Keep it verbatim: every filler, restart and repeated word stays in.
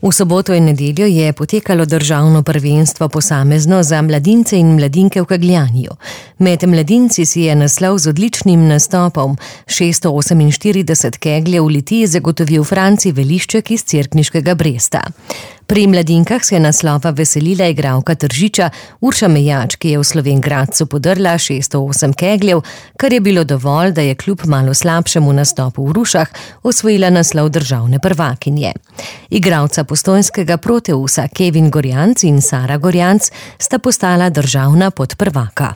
V soboto in nedeljo je potekalo državno prvenstvo posamezno za mladince in mladinke v kegljanju. Med mladinci si je naslov z odličnim nastopom šeststo oseminštirideset kegljev v Litiji zagotovil Franci Velišček iz Cerkniškega Bresta. Pri mladinkah se je naslova veselila igralka Tržiča Urša Mejač, ki je v Slovenj Gradcu podrla šeststo osem kegljev, kar je bilo dovolj, da je kljub malo slabšemu nastopu v Rušah osvojila naslov državne prvakinje. Igralca postojnskega Proteusa Kevin Gorjanc in Sara Gorjanc sta postala državna podprvaka.